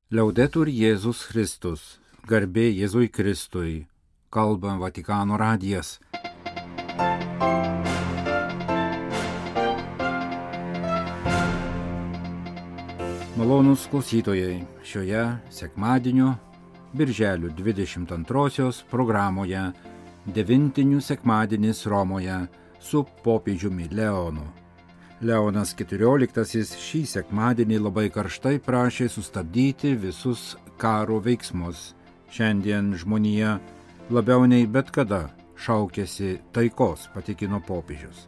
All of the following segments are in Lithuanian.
Liaudetur Jėzus Kristus, garbė Jėzui Kristui, kalba Vatikano radijas. Malonūs klausytojai, šioje sekmadienio, birželio 22 programoje Devintinių sekmadienis Romoje su popiežiumi Leonu. Leonas XIV šį sekmadienį labai karštai prašė sustabdyti visus karo veiksmus. Šiandien žmonija labiau nei bet kada šaukėsi taikos, patikino popiežius.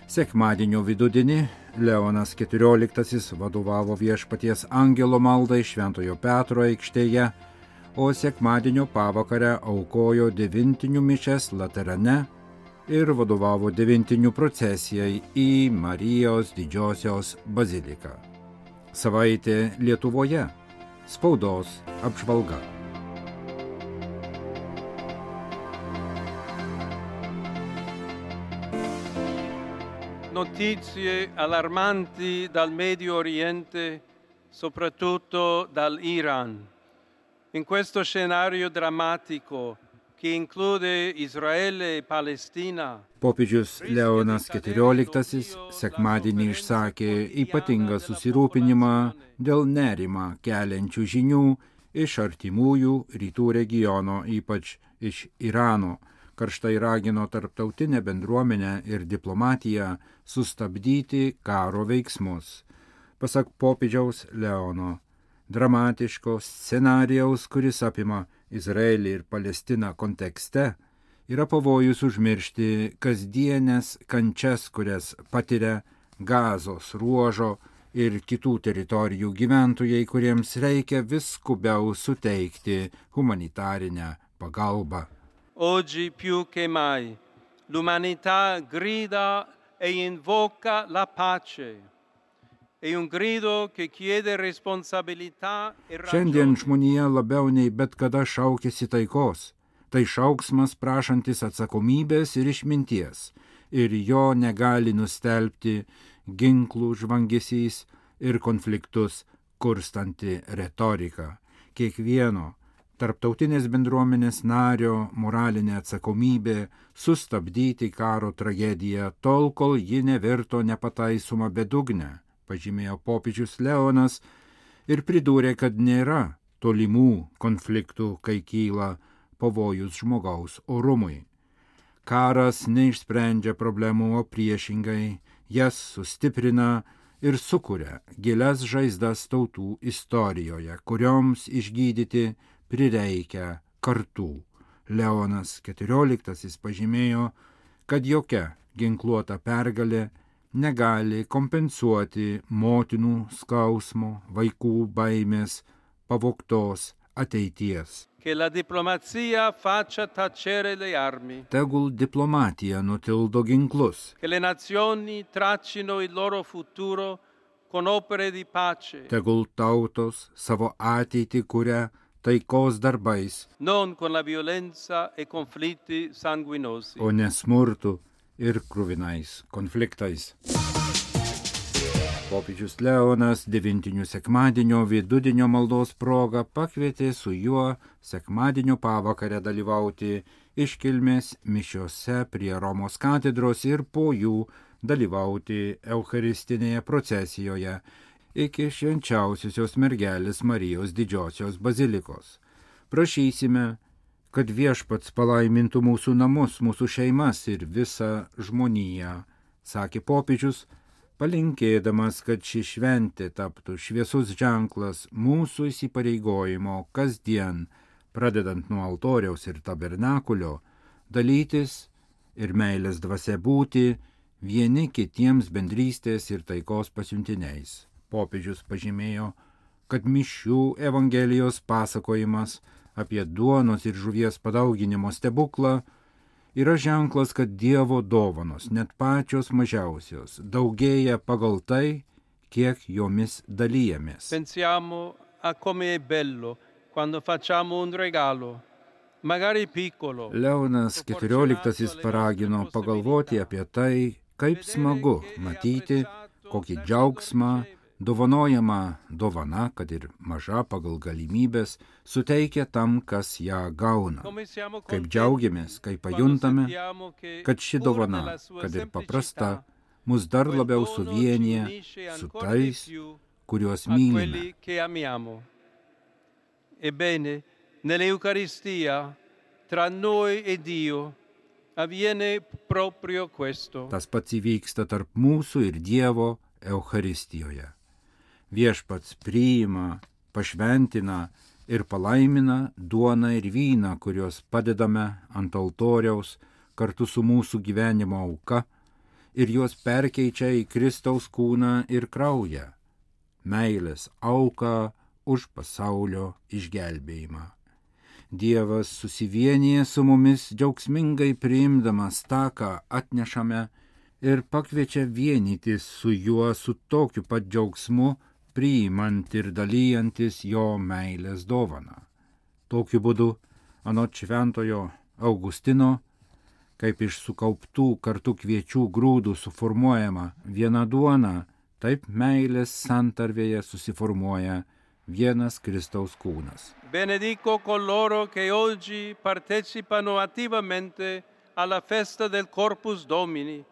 Sekmadienio vidudienį Leonas XIV vadovavo Viešpaties angelo maldai Šventojo Petro aikštėje, o sekmadienio pavakarę aukojo devintinių mišias Laterane ir vadovavo devintinių procesijai į Marijos Didžiosios baziliką. Savaitė Lietuvoje. Spaudos apžvalga. Notizie allarmanti dal Medio Oriente, soprattutto dall'Iran. In questo scenario drammatico che include Israele e Palestina. Popiežius Leonas XIV sekmadienį išsakė ypatingą susirūpinimą dėl nerimą keliančių žinių iš artimųjų rytų regiono, ypač iš Irano. Karštai ragino tarptautinę bendruomenę ir diplomatiją sustabdyti karo veiksmus. Pasak popiežiaus Leono, dramatiško scenarijaus, kuris apima Izraelį ir Palestiną kontekste, yra pavojus užmiršti kasdienės kančias, kurias patiria Gazos ruožo ir kitų teritorijų gyventojai, kuriems reikia vis skubiau suteikti humanitarinę pagalbą. Oggi più che mai l'umanità grida e invoca la pace. Šiandien žmonija labiau nei bet kada šaukėsi taikos. Tai šauksmas prašantis atsakomybės ir išminties, ir jo negali nustelbti ginklų žvangesys ir konfliktus kurstanti retorika. Kiekvieno tarptautinės bendruomenės nario moralinė atsakomybė sustabdyti karo tragediją tol, kol ji nevirto nepataisoma bedugne, pažymėjo popiežius Leonas ir pridūrė, kad nėra tolimų konfliktų, kai kyla pavojus žmogaus orumui. Karas neišsprendžia problemų, o priešingai jas sustiprina ir sukuria gilias žaizdas tautų istorijoje, kurioms išgydyti prireikia kartų. Leonas XIV pažymėjo, kad jokia ginkluota pergalė negali kompensuoti motinų skausmo, vaikų baimės, pavogtos ateities. Tegul diplomatija nutildo ginklus. Tegul tautos savo ateitį kuria taikos darbais, o ne smurtu ir kruvinais konfliktais. Popiežius Leonas devintinių sekmadienio vidudienio maldos proga pakvietė su juo sekmadienio pavakarę dalyvauti iškilmės mišiose prie Romos katedros ir po jų dalyvauti eucharistinėje procesijoje iki švenčiausiosios mergelės Marijos Didžiosios bazilikos. Prašysime, kad Viešpats palaimintų mūsų namus, mūsų šeimas ir visą žmoniją, sakė popiežius, palinkėdamas, kad ši šventė taptų šviesus ženklas mūsų įsipareigojimo kasdien, pradedant nuo altoriaus ir tabernakulio, dalytis ir meilės dvasia būti vieni kitiems bendrystės ir taikos pasiuntiniais. Popiežius pažymėjo, kad mišių Evangelijos pasakojimas apie duonos ir žuvies padauginimo stebuklą yra ženklas, kad Dievo dovanos, net pačios mažiausios, daugėja pagal tai, kiek jomis dalyjamės. Pensiamo a come è bello quando facciamo un regalo, magari piccolo. Leonas XIV paragino pagalvoti apie tai, kaip smagu matyti, kokį džiaugsmą Dovanojama dovana, kad ir maža pagal galimybės, suteikia tam, kas ją gauna. Kaip džiaugiamės, kai pajuntame, kad ši dovana, kad ir paprasta, mus dar labiau suvienyje su tais, kuriuos mylime. Ebbene, nell'Eucaristia, tra noi e Dio, avviene proprio questo. Tas pats įvyksta tarp mūsų ir Dievo Eucharistijoje. Viešpats priima, pašventina ir palaimina duoną ir vyną, kuriuos padedame ant altoriaus kartu su mūsų gyvenimo auka ir juos perkeičia į Kristaus kūną ir kraują, meilės auką už pasaulio išgelbėjimą. Dievas susivienyje su mumis džiaugsmingai priimdamas tą, ką atnešame, ir pakviečia vienytis su juo su tokiu pat džiaugsmu, priimant ir dalyjantis jo meilės dovaną. Tokiu būdu, anot šventojo Augustino, kaip iš sukauptų kartu kviečių grūdų suformuojama viena duona, taip meilės santarvėje susiformuoja vienas Kristaus kūnas. Benedico coloro che oggi partecipano attivamente alla festa del Corpus Domini.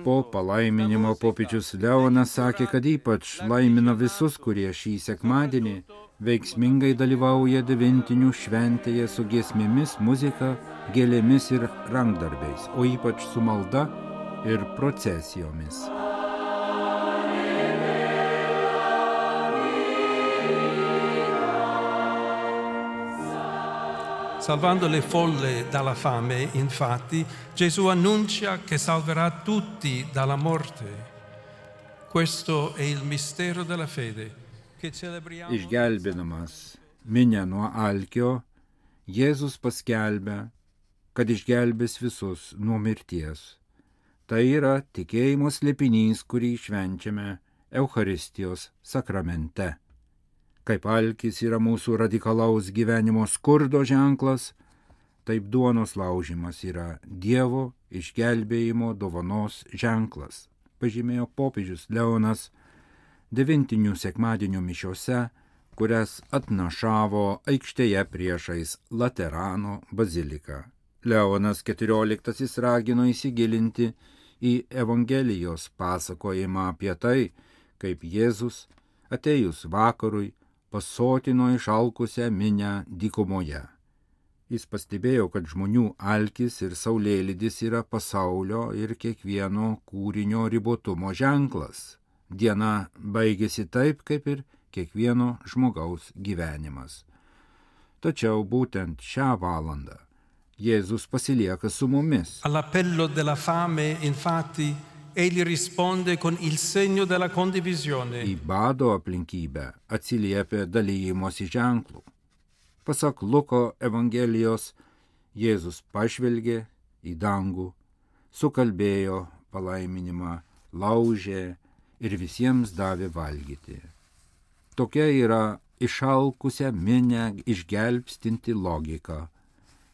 Po palaiminimo popiežius Leonas sakė, kad ypač laimina visus, kurie šį sekmadienį veiksmingai dalyvauja devintinių šventėje su giesmėmis, muzika, gėlėmis ir rankdarbiais, o ypač su malda ir procesijomis. Salvando le folle dalla fame, infatti, Gesù annuncia che salverà tutti dalla morte. Questo è il mistero della fede che celebriamo. Išgelbinamas minią nuo alkio, Jėzus paskelbia, kad išgelbės visus nuo mirties. Tai yra tikėjimo slėpinys, kurį švenčiame Eucharistijos sakramente. Kaip alkis yra mūsų radikalaus gyvenimo skurdo ženklas, taip duonos laužimas yra Dievo išgelbėjimo dovanos ženklas, pažymėjo popiežius Leonas devintinių sekmadienio mišiose, kurias atnašavo aikštėje priešais Laterano baziliką. Leonas XIV ragino įsigilinti į Evangelijos pasakojimą apie tai, kaip Jėzus, atėjus vakarui, pasotino išalkusią minią dykumoje. Jis pastebėjo, kad žmonių alkis ir saulėlydis yra pasaulio ir kiekvieno kūrinio ribotumo ženklas. Diena baigėsi taip, kaip ir kiekvieno žmogaus gyvenimas. Tačiau būtent šią valandą Jėzus pasilieka su mumis. All'appello della fame, infatti, egli risponde con il segno della condivisione. Į bado aplinkybę atsiliepia dalyjimosi ženklų. Pasak Luko Evangelijos, Jėzus pažvelgė į dangų, sukalbėjo palaiminimą, laužė ir visiems davė valgyti. Tokia yra išalkusią minią išgelbstinti logika.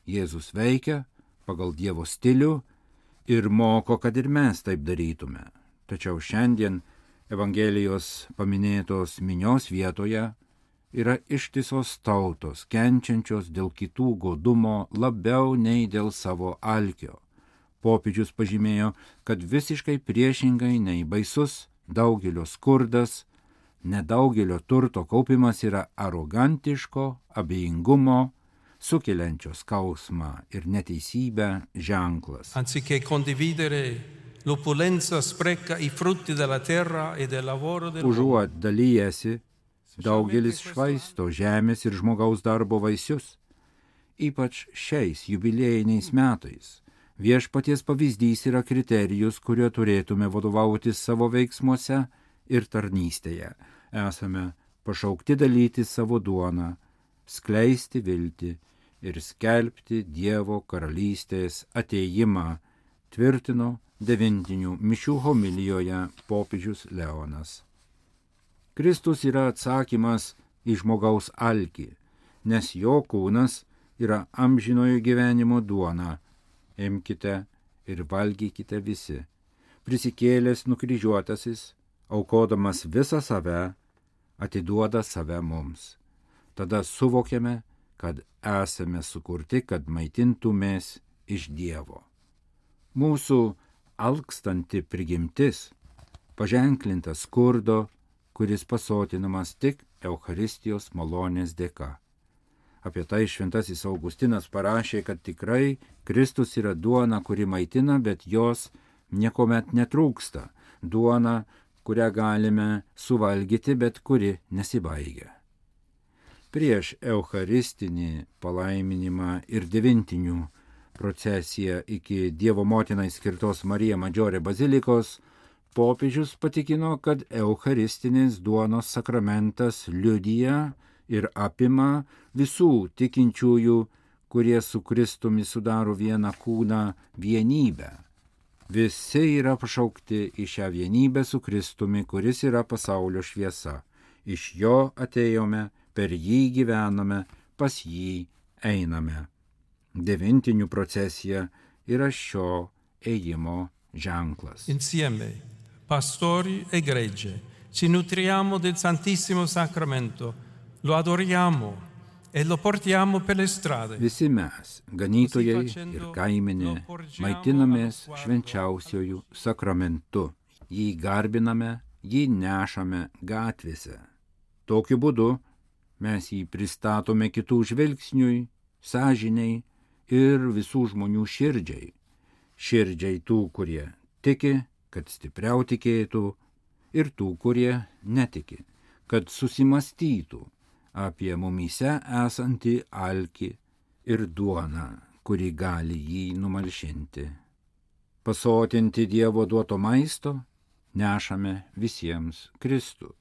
Jėzus veikia pagal Dievo stilių ir moko, kad ir mes taip darytume. Tačiau šiandien Evangelijos paminėtos minios vietoje yra ištisos tautos, kenčiančios dėl kitų godumo labiau nei dėl savo alkio. Popiežius pažymėjo, kad visiškai priešingai nei baisus daugelio skurdas, nedaugelio turto kaupimas yra arogantiško, abejingumo, sukeliančio skausmą ir neteisybę ženklas. Anziché condividere l'opulenza spreca i frutti della terra e del lavoro dell'uomo. Užuot dalyjasi, daugelis švaisto žemės ir žmogaus darbo vaisius. Ypač šiais jubiliejiniais metais viešpaties pavyzdys yra kriterijus, kuriuo turėtume vadovautis savo veiksmuose ir tarnystėje. Esame pašaukti dalyti savo duoną, skleisti viltį ir skelbti Dievo karalystės atėjimą, tvirtino devintinių mišių homilijoje popiežius Leonas. Kristus yra atsakymas į žmogaus alkį, nes jo kūnas yra amžinojo gyvenimo duona. Imkite ir valgykite visi. Prisikėlęs nukryžiuotasis aukodamas visą save, atiduoda save mums. Tada suvokiame, kad esame sukurti, kad maitintumės iš Dievo. Mūsų alkstanti prigimtis paženklinta skurdo, kuris pasotinamas tik Eucharistijos malonės dėka. Apie tai šventasis Augustinas parašė, kad tikrai Kristus yra duona, kuri maitina, bet jos niekuomet netrūksta. Duona, kurią galime suvalgyti, bet kuri nesibaigia. Prieš Eucharistinį palaiminimą ir devintinių procesiją iki Dievo motinai skirtos Marija Maggiore bazilikos, popiežius patikino, kad Eucharistinės duonos sakramentas liudija ir apima visų tikinčiųjų, kurie su Kristumi sudaro vieną kūną, vienybę. Visi yra pašaukti į šią vienybę su Kristumi, kuris yra pasaulio šviesa. Iš jo atėjome, per jį gyvename, pas jį einame. Devintinių procesija yra šio ėjimo ženklas. Insieme, pastori e gregge, ci nutriamo del Santissimo Sacramento, lo adoriamo e lo portiamo per le strade. Visi mes, ganytojai ir kaimenė, maitinamės švenčiausiojų sakramentu. Jį garbiname, jį nešame gatvėse. Tokiu būdu mes jį pristatome kitų žvilgsniui, sąžiniai ir visų žmonių širdžiai. Širdžiai tų, kurie tiki, kad stipriau tikėtų, ir tų, kurie netiki, kad susimastytų apie mumyse esantį alkį ir duoną, kuri gali jį numalšinti. Pasotinti Dievo duoto maisto nešame visiems Kristų,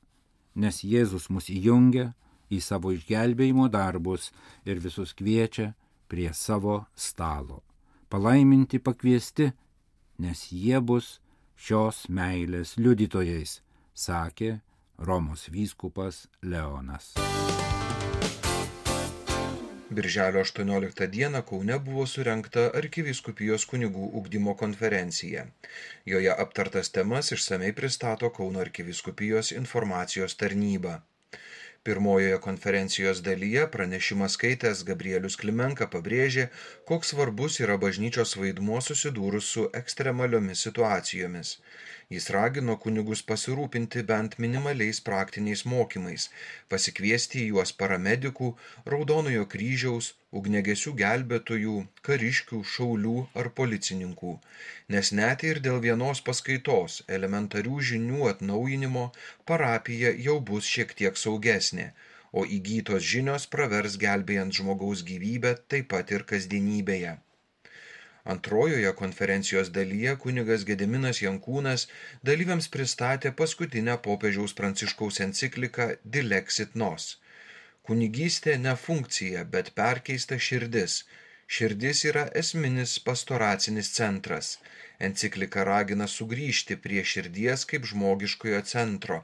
nes Jėzus mus įjungia į savo išgelbėjimo darbus ir visus kviečia prie savo stalo. Palaiminti pakviesti, nes jie bus šios meilės liudytojais, sakė Romos vyskupas Leonas. Birželio 18 dieną Kaune buvo surengta Arkivyskupijos kunigų ugdymo konferencija. Joje aptartas temas išsamei pristato Kauno Arkivyskupijos informacijos tarnyba. Pirmojoje konferencijos dalyje pranešimą skaitęs Gabrielius Klimenka pabrėžė, koks svarbus yra bažnyčios vaidmuo susidūrus su ekstremaliomis situacijomis. Jis ragino kunigus pasirūpinti bent minimaliais praktiniais mokymais, pasikviesti į juos paramedikų, Raudonojo kryžiaus, ugniagesių gelbėtojų, kariškių, šaulių ar policininkų, nes net ir dėl vienos paskaitos elementarių žinių atnaujinimo parapija jau bus šiek tiek saugesnė, o įgytos žinios pravers gelbėjant žmogaus gyvybę taip pat ir kasdienybėje. Antrojoje konferencijos dalyje kunigas Gediminas Jankūnas dalyviams pristatė paskutinę popiežiaus Pranciškaus encikliką Dilexit Nos. Kunigystė ne funkcija, bet perkeista širdis. Širdis yra esminis pastoracinis centras. Enciklika ragina sugrįžti prie širdies kaip žmogiškojo centro,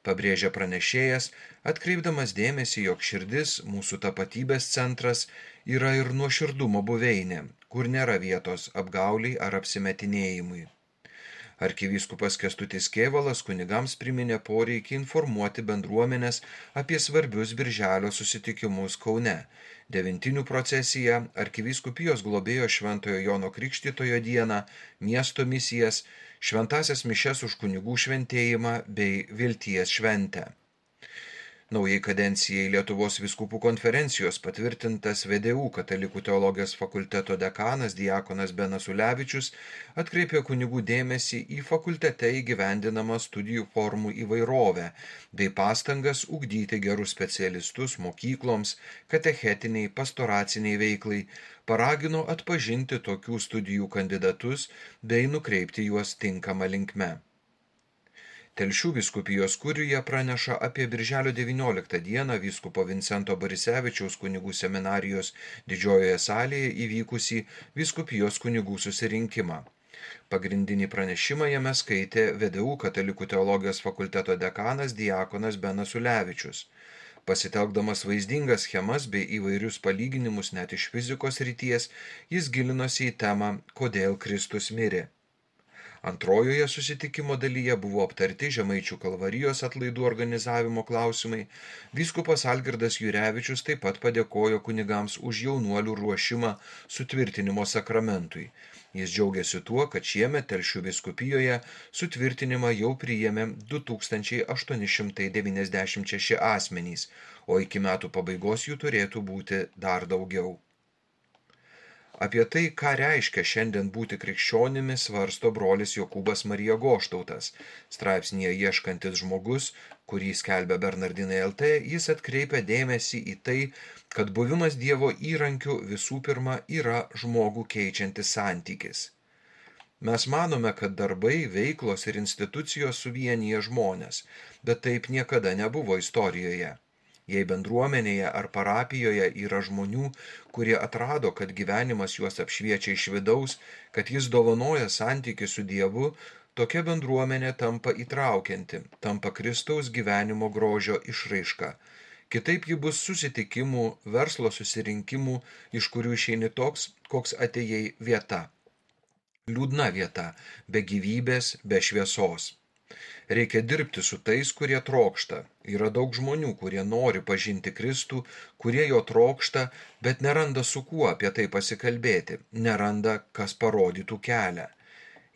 pabrėžia pranešėjas, atkreipdamas dėmesį, jog širdis, mūsų tapatybės centras, yra ir nuoširdumo buveinė, kur nėra vietos apgauliai ar apsimetinėjimui. Arkivyskupas Kęstutis Kėvalas kunigams priminė poreikį informuoti bendruomenės apie svarbius birželio susitikimus Kaune, devintinių procesiją, arkivyskupijos globėjo Šventojo Jono Krikštytojo dieną, miesto misijas, šventąsias mišias už kunigų šventėjimą bei vilties šventę. Naujai kadencijai Lietuvos vyskupų konferencijos patvirtintas VDU Katalikų teologijos fakulteto dekanas diakonas Benas Ulevičius atkreipė kunigų dėmesį į fakultete įgyvendinamą studijų formų įvairovę bei pastangas ugdyti gerus specialistus mokykloms, katechetiniai, pastoraciniai veiklai, paragino atpažinti tokių studijų kandidatus bei nukreipti juos tinkamą linkme. Telšių vyskupijos kurijoje praneša apie birželio 19 dieną vyskupo Vincento Borisevičiaus kunigų seminarijos didžiojoje salėje įvykusį vyskupijos kunigų susirinkimą. Pagrindinį pranešimą jame skaitė VDU Katalikų teologijos fakulteto dekanas diakonas Benas Ulevičius. Pasitelkdamas vaizdingas schemas bei įvairius palyginimus net iš fizikos srities, jis gilinosi į temą, kodėl Kristus mirė. Antrojoje susitikimo dalyje buvo aptarti Žemaičių Kalvarijos atlaidų organizavimo klausimai. Vyskupas Algirdas Jurevičius taip pat padėkojo kunigams už jaunuolių ruošimą sutvirtinimo sakramentui. Jis džiaugiasi tuo, kad šiemet Telšių vyskupijoje sutvirtinimą jau priėmė 2896 asmenys, o iki metų pabaigos jų turėtų būti dar daugiau. Apie tai, ką reiškia šiandien būti krikščionimi, svarsto brolis Jokūbas Marija Goštautas. Straipsnyje Ieškantis žmogus, kurį skelbia Bernardinai LT, jis atkreipia dėmesį į tai, kad buvimas Dievo įrankiu visų pirma yra žmogų keičiantis santykis. Mes manome, kad darbai, veiklos ir institucijos suvienyje žmonės, bet taip niekada nebuvo istorijoje. Jei bendruomenėje ar parapijoje yra žmonių, kurie atrado, kad gyvenimas juos apšviečia iš vidaus, kad jis dovanoja santykį su Dievu, tokia bendruomenė tampa įtraukianti, tampa Kristaus gyvenimo grožio išraiška. Kitaip ji bus susitikimų, verslo susirinkimų, iš kurių išeini toks, koks atėjai vieta. Liūdna vieta, be gyvybės, be šviesos. Reikia dirbti su tais, kurie trokšta. Yra daug žmonių, kurie nori pažinti Kristų, kurie jo trokšta, bet neranda su kuo apie tai pasikalbėti, neranda, kas parodytų kelią.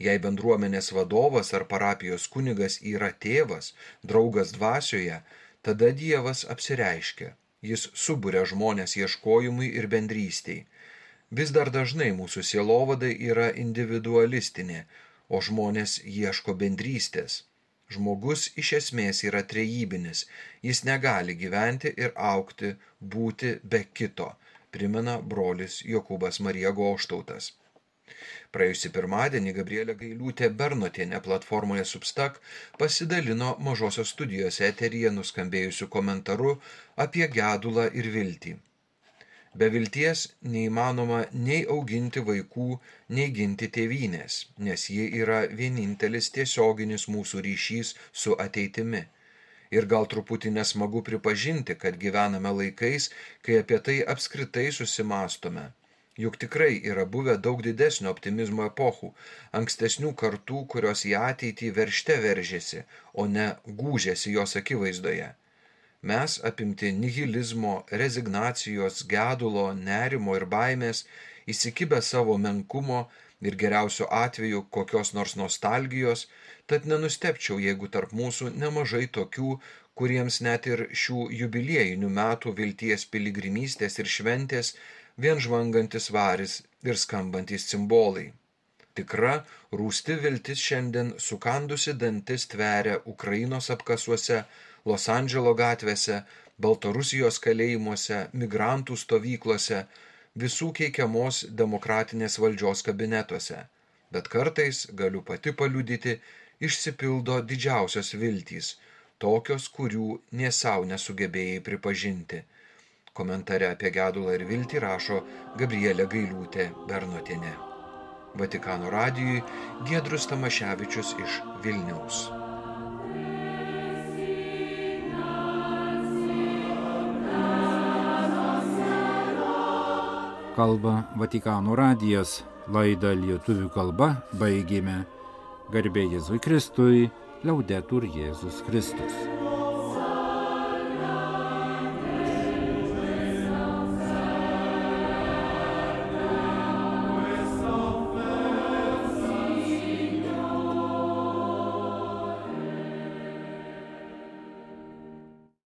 Jei bendruomenės vadovas ar parapijos kunigas yra tėvas, draugas dvasioje, tada Dievas apsireiškia. Jis suburia žmonės ieškojimui ir bendrystei. Vis dar dažnai mūsų sielovada yra individualistinė, o žmonės ieško bendrystės. Žmogus iš esmės yra trejybinis, jis negali gyventi ir augti, būti be kito, primena brolis Jokūbas Marija Goštautas. Praėjusį pirmadienį Gabrielė Gailiūtė Bernotienė platformoje Substack pasidalino Mažosios studijos eteryje nuskambėjusiu komentaru apie gedulą ir viltį. Be vilties neįmanoma nei auginti vaikų, nei ginti tėvynės, nes ji yra vienintelis tiesioginis mūsų ryšys su ateitimi. Ir gal truputį nesmagu pripažinti, kad gyvename laikais, kai apie tai apskritai susimastome. Juk tikrai yra buvę daug didesnio optimizmo epochų, ankstesnių kartų, kurios į ateitį veržte veržėsi, o ne gūžėsi jos akivaizdoje. Mes, apimti nihilizmo, rezignacijos, gedulo, nerimo ir baimės, įsikibę savo menkumo ir geriausiu atveju kokios nors nostalgijos, tad nenustebčiau, jeigu tarp mūsų nemažai tokių, kuriems net ir šių jubiliejinių metų vilties piligrimystės ir šventės vien žvangantis varis ir skambantis cimbolai. Tikra, rūsti viltis šiandien sukandusi dantis tveria Ukrainos apkasuose, Los Andželo gatvėse, Baltarusijos kalėjimuose, migrantų stovyklose, visų keikiamos demokratinės valdžios kabinetuose. Bet kartais, galiu pati paliudyti, išsipildo didžiausios viltys, tokios, kurių nė sau nesugebėjai pripažinti. Komentare apie gedulą ir viltį rašo Gabrielė Gailiūtė Bernotienė. Vatikano radijui Giedrius Tamaševičius iš Vilniaus. Kalba Vatikano radijas, laidą lietuvių kalba baigėme. Garbė Jėzui Kristui, Laudetur Jėzus Kristus.